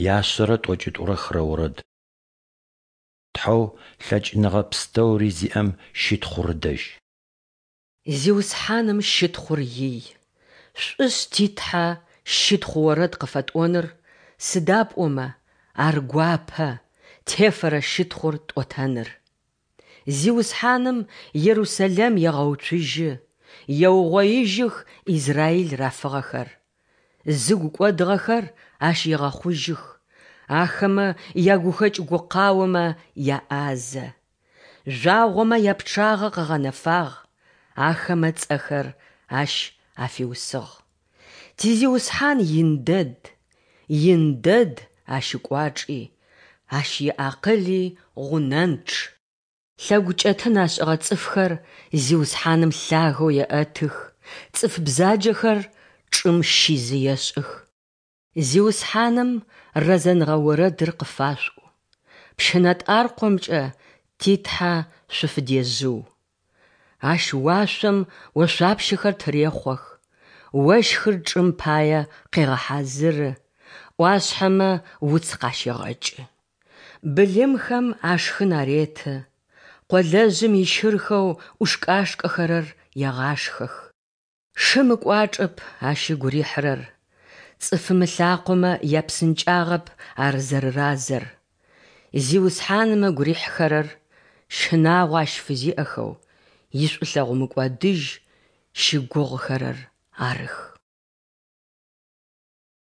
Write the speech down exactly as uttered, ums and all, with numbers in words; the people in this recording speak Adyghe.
Яшъэрэ тӏокӏитӏурэ хырэ орэд. Тхьэу лъэкӏыныгъэ пстэури зиӏэм щытхъур ыдэжь. Зиусхьаным щытхъур ий! Шӏушъ ти Тхьэ щытхъу орэд къыфэтӏоныр, сыда пӏомэ Ар гуапэ, тефэрэ щытхъур тӏотэныр. Зиусхьаным Ерусэлэм егъэуцужьы, еугъоижьых Израил рафыгъэхэр. Зыгу кӏодыгъэхэр Ащ егъэхъужьых, ахэмэ ягухэкӏ-гукъаомэ яӏазэ. Жъуагъомэ япчъагъэ къыгъэнэфагъ, ахэмэ цӏэхэр Ащ афиусыгъ. Ти Зиусхьан ин дэд, ин дэд Ащ ыкӏуачӏи, Ащ иакъыли гъунэнчъ. Лъэгукӏэтын ашӏыгъэ цӏыфхэр Зиусхьаным лъагэу еӏэтых, цӏыф бзаджэхэр чӏым щизы ешӏых. Зиусхьаным рэзэныгъэ орэдыр къыфашъуӏу, пщынэтӏаркъомкӏэ ти Тхьэ шъуфыдежъыу. Ащ уашъом ошъуапщэхэр тырехъох, ощхыр чӏым пае къегъэхьазыры, ӏуашъхьэмэ уц къащегъэкӏы. Былымхэм ашхын ареты, къолэжъым ищырхэу ӏушкӏашкӏэхэрэр егъашхэх. Шым ыкӏуачӏэп ащ ыгу рихьырэр, цӏыфым ылъакъомэ япсынкӏагъэп ар зэрэразэр. Зиусхьаным ыгу рихьыхэрэр щынагъо ащ фызиӏэхэу, ишӏулъэгъу мыкӏодыжь щыгугъыхэрэр арых.